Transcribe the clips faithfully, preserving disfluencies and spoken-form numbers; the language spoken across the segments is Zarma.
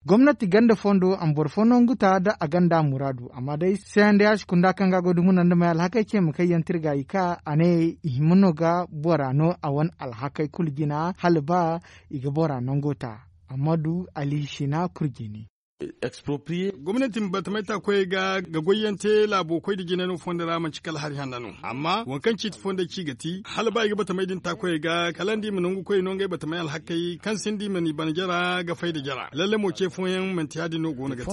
Gomnati ganda fondo a ma boro fo nangu ta nda a ganda muraadu amma day c n d h kunda kaŋ ga a go ga dumuna nda may alhakey ce ma kaŋ yaŋ tirga i ka a ne i hima no ga bora no a wane alhakey kulu jina hala ba i ga bora nango ta. Amma du ali sina kurjini. Gomnati ma batamay ta koyey ga ga goyyaŋ te laabo koy nda jina no fondo ra manti kala hari hanna no amma waŋ kaŋ ciiti fondey ci ga ti hala ba i ga batamay din ta koyey ga kala nda i ma nangu koyey no ngey batamay alhakey kaŋ sinda i mana i bana jara ga fay nda jara lalle mo ce fooyaŋ manti ya- din no go no ga te.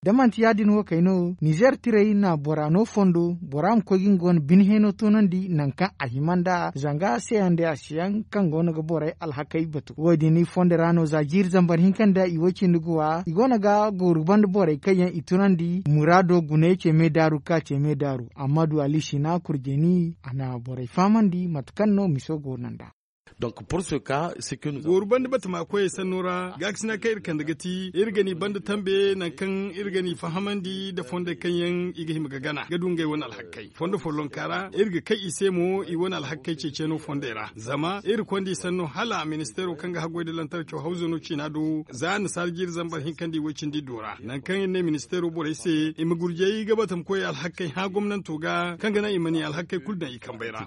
Da manti ya- din wo kay no nizeer tirey na bora no fondo bora ma koy ga nga wane bine heeno toonandi nangu kaŋ a hima nd'a zanga c n d h yaŋ kaŋ go no ga borey alhakey batu wo- din fondo ra no za jiiri zambar hinka nda i wo- cindi ga wa i go no ga gooru banda borey kaŋ yaŋ i tunandi muraado guney ce me daaru ga ka ce me daaru amma du ali sina kurjeni a na borey fahamandi mate kaŋ no miso go no nd'a. Gooru banda batama koyey sanno ra gaakasina kaŋ iri kande ga ti iri ga ni banda tambe nangu kaŋ iri ga ni fahamandi nda fondey kaŋ yaŋ i ga hima ga gana ga du ngey wane alhakey fondo follonka ra iri ga kay i se mo i wane alhakey ceeciyaŋo fondey ra zama iri konda i sanno hala ministeero kaŋ ga haggoy nda lantarco hawzo no ciina do za annasaara jiiri zambar hinka nda i way- cindi iddo ra nangu kaŋ iri ne ministeero borey se i ma gurjay ga batama koyey alhakey hã gomnanto ga kaŋ ga naŋ i ma ni alhakey kulu daŋ i kambey ra.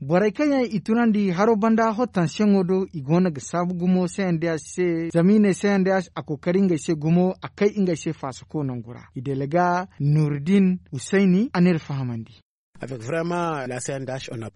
Borey kaŋ yaŋ i tunandi haro banda hottansiyaŋo do i go no ga saabu gumo c n d h se zama i ne c n d h a kookari ngey se gumo a kay ngey se faasako nangu ra i dalaga nuruddin husayni a n'iri fahamandi.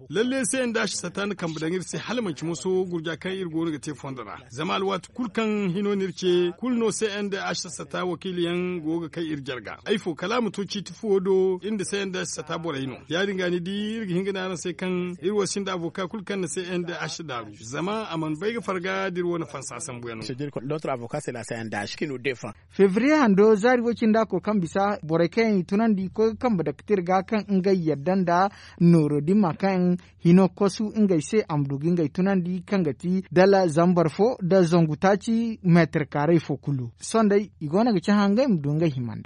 Lalle c n d h sata na kambe daŋ iri se hala manti moso gurja kaŋ iri go no ga te fondo ra zama alwaati kulu kaŋ hino no iri ce kulu no c n d h sata wakiiliyaŋ go ga kay iri jarga ay fo kala a ma to ciiti fuwo do iri nda c n d h sata borey no ya- din ga ni di iri ga hin ga ne araŋ se kaŋ iri wo sinda avoka kulu kaŋ na c n d h daaru zama a mana bay ga farga da iri wane fansa sambuyaŋo. Febriye hando zaari way- cindi a koy kaŋ bisa borey kaŋ yaŋ i tunandi koy ga kambe daktir ga kaŋ ngey yadda nda nooro dimma kaŋ hino kosu ngey se a ma du ga ngey tunandi kaŋ ga ti dala zambar fo nda zangu taaci meetar kaaray fo kulu sohõ day i go no ga cahã ngey ma du ngey himandey.